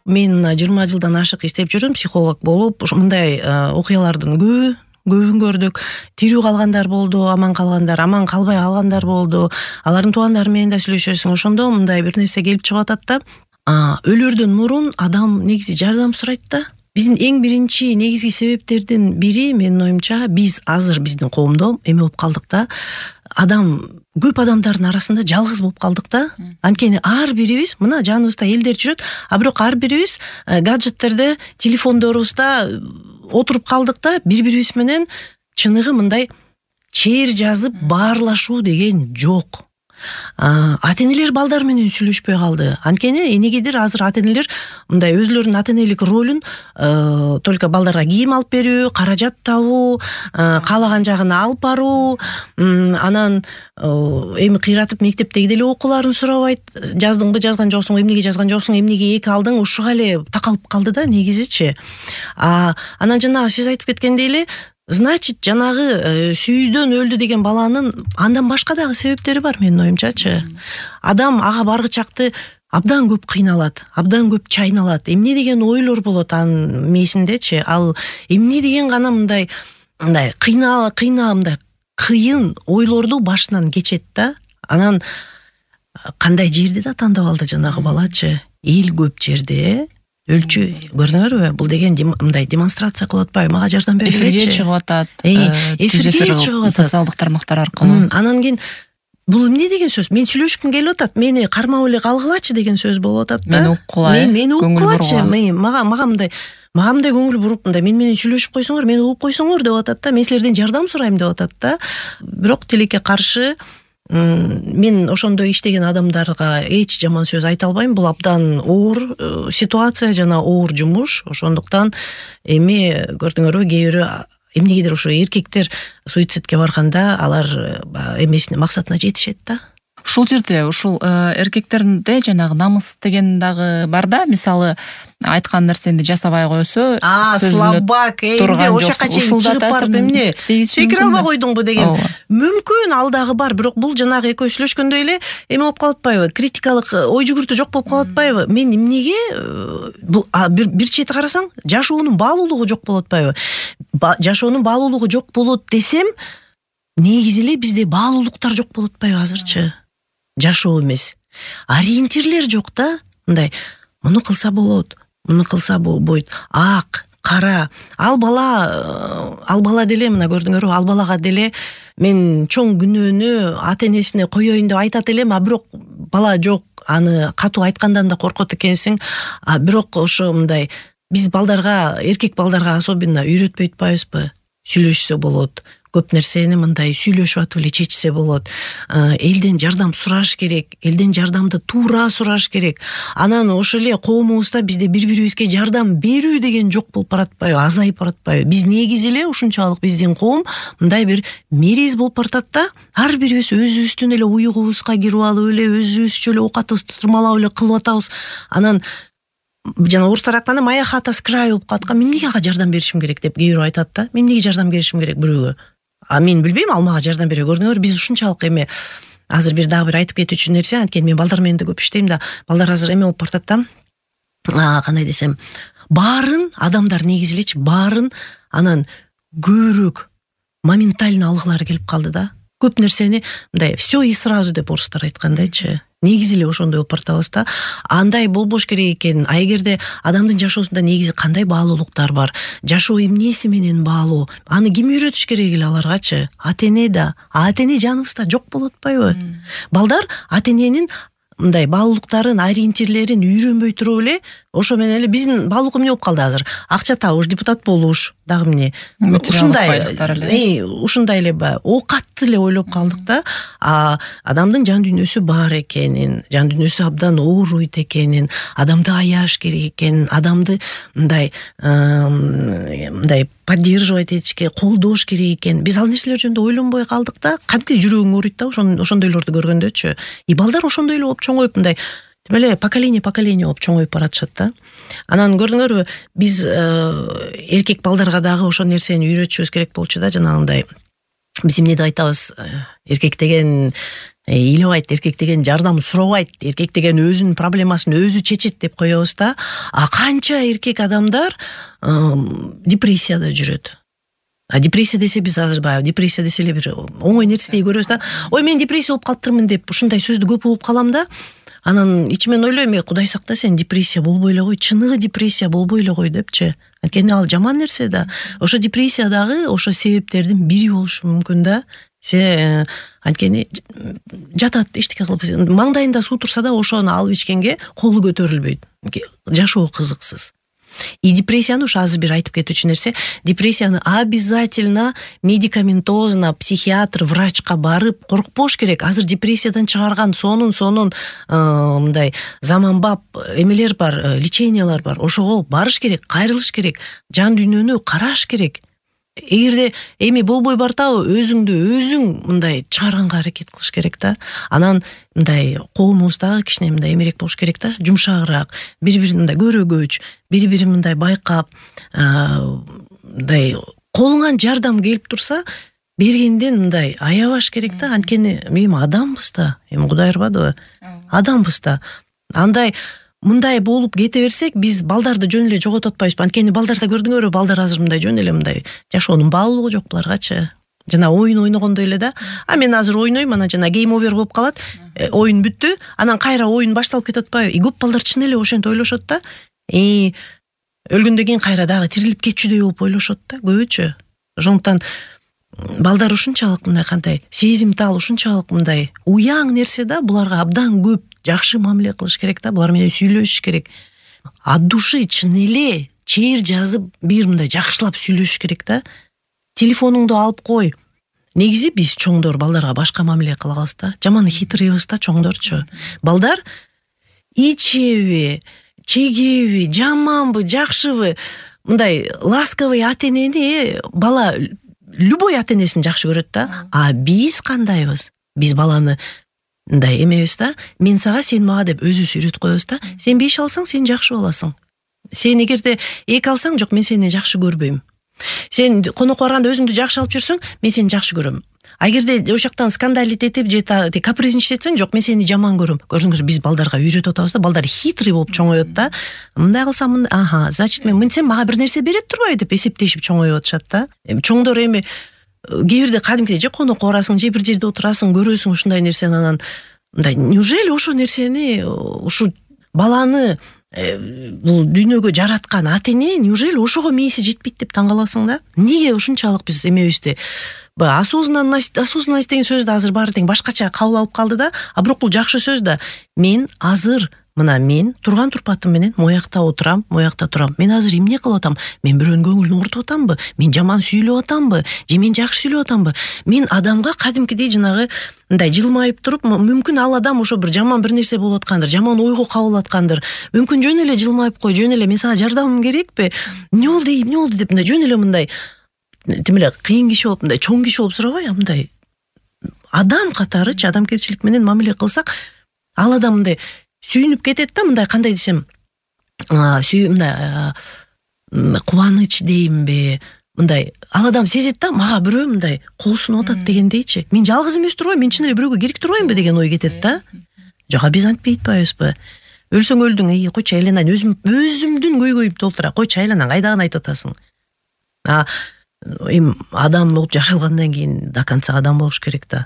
Мен 20 жылдан ашык иштеп жүрүм психолог болуп. Мындай окуялардын көбүн көрдүк. Тирүү калгандар болду, аман калгандар, аман калбай калгандар болду. Алардын туугандары менен да сүйлөшөсүң. Ошондо мындай бир нерсе келип чыгып атат да. Өлөрдөн мурун адам негизи жардам сурайт да. Биздин эң биринчи негизги себептердин бири менин оюмча биз азыр биздин коомдо эме болуп калдык да. Көп адамдардын арасында жалгыз болуп калдык да. Анткени ар бирибиз мына жаныбызда элдер жүрөт, бирок ар бирибиз гаджеттерде, телефондорубузда отуруп калдык да. Бири-бирибиз менен чыныгы мындай чээр жазып баарлашуу деген жок. Ата-энелер балдар менен сүйлөшпөй калды. Анткени энегедир азыр ата-энелер мындай өзлөрүнүн ата-энелик ролун только балдарга кийим алып берүү, каражат табуу, каалаган жагына алып баруу, анан эми кыйратып мектептеги деле окууларын сурабайт. Жаздыңбы, жазган жоксуң, эмнеге жазган жоксуң, эмнеге 2 алдың, ушуга эле такалып калды да негизичи. Анан жанагы сиз айтып кеткендей эле, значит, жанагы сүйүүдөн өлдү деген баланын андан башка дагы себептери бар менин оюмчачы. Адам ага баргычакты абдан көп кыйналат, абдан көп чайналат. Эмне деген ойлор болот анын мээсиндечи. Ал эмне деген гана мындай мындай кыйын ойлорду башынан кечет да. Анан кандай жерди да тандап алды жанагы балачы. Эл көп жерде өлчү көрдүңөрбү? Бул деген мындай демонстрация кылып атпайбы? Мага жардам берчи. Эфирге чыгып атат. Эфирге чыгып атат. Социалдык тармактар аркылуу. Анан кийин бул эмне деген сөз? Мен сүйлөшкүм келип атат. Мени кармап эле калгылачы деген сөз болуп атат да. Мени уккула. Мени уккулачы. Мага мындай көңүл буруп мындай мен менен сүйлөшүп койсоңор, мени угуп койсоңор деп атат да. Мен силерден жардам сурайм деп атат да. Бирок тилекке каршы мен ошондой иштеген адамдарга эч жаман сөз айта албайм. Бул абдан оор ситуация жана оор жумуш. Ошондуктан эми көрдүңөрбү, кээ бирөө эмнегедир ошо эркектер суицидке барганда алар эмесине максатына жетишет да. Ушул жерде ушул эркектерде жанагы намыс деген дагы бар да. Мисалы айткан нерсени жасабай койсо, слабак, эмне ошока чейин чыгып барып эмне секире албай койдуңбу деген мүмкүн ал дагы бар. Бирок бул жанагы экөө сүйлөшкөндөй эле эме болуп калып атпайбы? Критикалык ой жүгүртүү жок болуп калып атпайбы? Мен эмнеге бул бир чети карасаң, жашоонун баалуулугу жок болуп атпайбы? Жашоонун баалуулугу жок болот десем, негизи эле бизде баалуулуктар жок болуп атпайбы азырчы? Жашоо эмес. Ориентирлер жок да. Мындай муну кылса болот, муну кылса болбойт. Ак, кара. Ал бала деле мына көрдүңөрбү, ал балага деле мен чоң күнөөнү ата-энесине коёюн деп айтат элем, бирок бала жок, аны катуу айткандан да коркот экенсиң. Бирок ошо мындай биз балдарга, эркек балдарга особенно үйрөтпөй атпайбызбы? Сүйлөшсө болот. Көп нерсени мындай сүйлөшүп атып эле чечсе болот. Элден жардам сураш керек, элден жардамды туура сураш керек. Анан ошо эле коомубузда бизде бири-бирибизге жардам берүү деген жок болуп баратпайбы, азайып баратпайбы? Биз негизи эле ушунчалык биздин коом мындай бир мерез болуп баратат да. Ар бирибиз өзүбүздүн эле уйгубузга кирип алып эле өзүбүзчө эле оокатыбызды тырмалап эле кылып атабыз. Анан жана орустар айтканда моя хата с краю болуп калаткан. Мен эмнеге ага жардам беришим керек деп кээ бирөө айтат да. Мен эмнеге жардам беришим керек бирөөгө? Мен билбейм, ал мага жардам бере. Көрдүңөр, биз ушунчалык эме азыр дагы бир айтып кетүүчү нерсе, анткени мен балдар менен да көп иштейм да. Балдар азыр эме болуп бартат да. Кандай десем, баарын адамдар негизи элечи баарын анан көбүрөөк моментально алгылары келип калды да. Көп нерсени мындай все и сразу деп орустар айткандайчы. Негизи эле ошондой болуп бартабыз да. Андай болбош керек экен. Эгерде адамдын жашоосунда негизи кандай баалуулуктар бар? Жашоо эмнеси менен баалуу? Аны ким үйрөтүш керек эле аларгачы? Ата-эне да. Ата-эне жаныбызда жок болуп атпайбы? Балдар ата-эненин мындай баалуулуктарын, ориентирлерин үйрөнбөй туруп эле ошо менен эле биздин баалуулук эмне болуп калды азыр? Акча табыш, депутат болуш, дагы эмне? Ушундай эле оокатты эле ойлоп калдык да. Адамдын жан дүйнөсү бар экенин, жан дүйнөсү абдан ооруйт экенин, адамды аяш керек экенин, адамды мындай поддерживать этишке, колдош керек экен. Биз ал нерселер жөнүндө ойлонбой калдык да. Кадимки жүрөгүң ооруйт да ошондойлорду көргөндөчү. Балдар ошондой эле болуп чоңоюп мындай тим эле поколение болуп чоңоюп баратышат да. Анан көрдүңөрбү, биз эркек балдарга дагы ошол нерсени үйрөтүшүбүз керек болчу да, жанагындай. Биз эмне деп айтабыз? Эркек деген ыйлабайт, эркек деген жардам сурабайт, эркек деген өзүнүн проблемасын өзү чечет деп коебуз да. А канча эркек адамдар депрессияда жүрөт. Депрессия десе биз азыр баягы депрессия десе эле бир оңой нерседей көрөбүз да. Ой, мен депрессия болуп калыптырмын деп ушундай сөздү көп угуп калам да. Анан ичимен ойлойм, Кудай сактасын, депрессия болбой эле кой, чыныгы депрессия болбой эле кой депчи. Анткени ал жаман нерсе да. Ошо депрессия дагы ошо себептердин бири болушу мүмкүн да. Анткени жатат, эчтеке кылып, маңдайында суу турса да ошону алып ичкенге колу көтөрүлбөйт. Жашоо кызыксыз. И депрессияны ушу азыр бир айтып кетүүчү нерсе, депрессияны обязательно медикаментозно психиатр, врачка барып коркпош керек. Азыр депрессиядан чыгарган сонун мындай заманбап эмелер бар, лечениялар бар. Ошого барыш керек, кайрылыш керек, жан дүйнөнү караш керек. Эгерде эми болбой бартабы, өзүң мындай чыгарганга аракет кылыш керек да. Анан мындай коомубуздагы кичине мындай эмерээк болуш керек да, жумшагыраак, бири-бирин мындай көрөгөч, бири-бирин мындай байкап, мындай колуңан жардам келип турса, бергенден мындай аябаш керек да. Анткени эми адамбыз да, эми Кудай ырбадыбы? Адамбыз да. Андай мындай болуп кете берсек, биз балдарды жөн эле жоготуп атпайбызбы? Анткени балдарда көрдүңөрбү, балдар азыр мындай жөн эле мындай жашоонун баалуулугу жок буларгачы. Жана оюн ойногондой эле да. А мен азыр ойнойм, анан жана гейм овер болуп калат, оюн бүттү, анан кайра оюн башталып кетип атпайбы? Көп балдар чын эле ошентип ойлошот да. Өлгөндөн кийин кайра дагы тирилип кетчүдөй болуп ойлошот да, көбүчө. Ошондуктан балдар ушунчалык мындай кандай сезимтал, ушунчалык мындай уяң нерсе да, буларга абдан көп жакшы мамиле кылыш керек да, булар менен сүйлөшүш керек. От души чын эле чейир жазып, бир мындай жакшылап сүйлөшүш керек да. Телефонуңду алып кой. Негизи биз чоңдор балдарга башка мамиле кылабыз да. Жаман хитрыйбыз да чоңдорчу. Балдар ичеби, чегеби, жаманбы, жакшыбы, мындай ласковый ата-энени бала любой ата-энесин жакшы көрөт да. А биз кандайбыз? Биз баланы мындай эмебиз да, мен сага, сен мага деп өзүбүз үйрөтүп коебуз да. Сен 5 алсаң, сен жакшы боласың. Сен эгерде 2 алсаң, жок, мен сени жакшы көрбөйм. Сен конокко барганда өзүңдү жакшы алып жүрсөң, мен сени жакшы көрөм. А эгерде ошоктан скандалить этип же капризничать этсең, жок, мен сени жаман көрөм. Көрдүңүзбү, биз балдарга үйрөтүп атабыз да, балдар хитрый болуп чоңоет да. Мындай кылсам, значит мен сен мага бир нерсе берет турбайбы деп эсептешип чоңоюп атышат да. Чоңдор эми кээ бирде кадимкидей же конокко барасың, же бир жерде отурасың, көрөсүң ушундай нерсени, анан мындай неужели ошо нерсени, ушу баланы бул дүйнөгө жараткан ата-эне неужели ошого мээси жетпейт деп таң каласың да. Эмнеге ушунчалык биз эмебизди осознанность деген сөздү азыр баары тең башкача кабыл алып калды да. А бирок бул жакшы сөз да. Мен азыр мына мен турган турпатым менен моякта отурам, моякта турам. Мен азыр эмне кылып атам? Мен бирөөнүн көңүлүн ортуп атамбы? Мен жаман сүйлөп атамбы? Же мен жакшы сүйлөп атамбы? Мен адамга кадимкидей жанагы мындай жылмайып туруп, мүмкүн ал адам ошо бир жаман бир нерсе болуп аткандыр, жаман ойго кабыл аткандыр. Мүмкүн жөн эле жылмайып кой, жөн эле мен сага жардамым керекпи? Эмне болду деп мындай жөн эле мындай тим эле кыйын киши болуп, мындай чоң киши болуп сурабай, мындай адам катарычы, адамгерчилик менен мамиле кылсак, ал адам мындай сүйүнүп кетет да, мындай кандай десем, мындай кубаныч деймби, мындай ал адам сезет да, мага бирөө мындай кол сунуп атат дегендейчи. Мен жалгыз эмес турбайм, мен чын эле бирөөгө керек турбаймбы деген ой кетет да. Жок, биз антпей атпайбызбы? Өлсөң өлдүң, койчу айланайын, өзүмдүн көйгөйүмдү толтура, койчу айланайын, кайдагыны айтып атасың? Эми адам болуп жаралгандан кийин до конца адам болуш керек да.